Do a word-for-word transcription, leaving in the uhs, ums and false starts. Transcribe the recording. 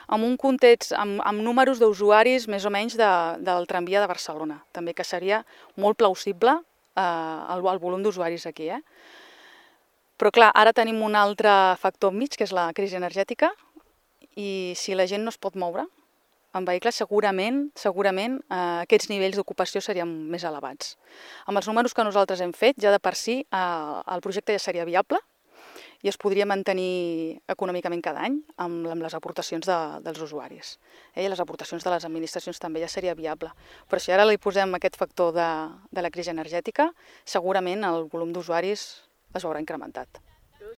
amb un context, amb, amb números d'usuaris més o menys de, del tramvia de Barcelona, també, que seria molt plausible eh, el, el volum d'usuaris aquí. Eh? Però clar, ara tenim un altre factor enmig, que és la crisi energètica, i si la gent no es pot moure en vehicles, segurament, segurament eh, aquests nivells d'ocupació serien més elevats. Amb els números que nosaltres hem fet, ja de per si eh, el projecte ja seria viable i es podria mantenir econòmicament cada any amb, amb les aportacions de, dels usuaris. Eh? I les aportacions de les administracions també ja seria viable. Però si ara li posem aquest factor de, de la crisi energètica, segurament el volum d'usuaris es veurà incrementat.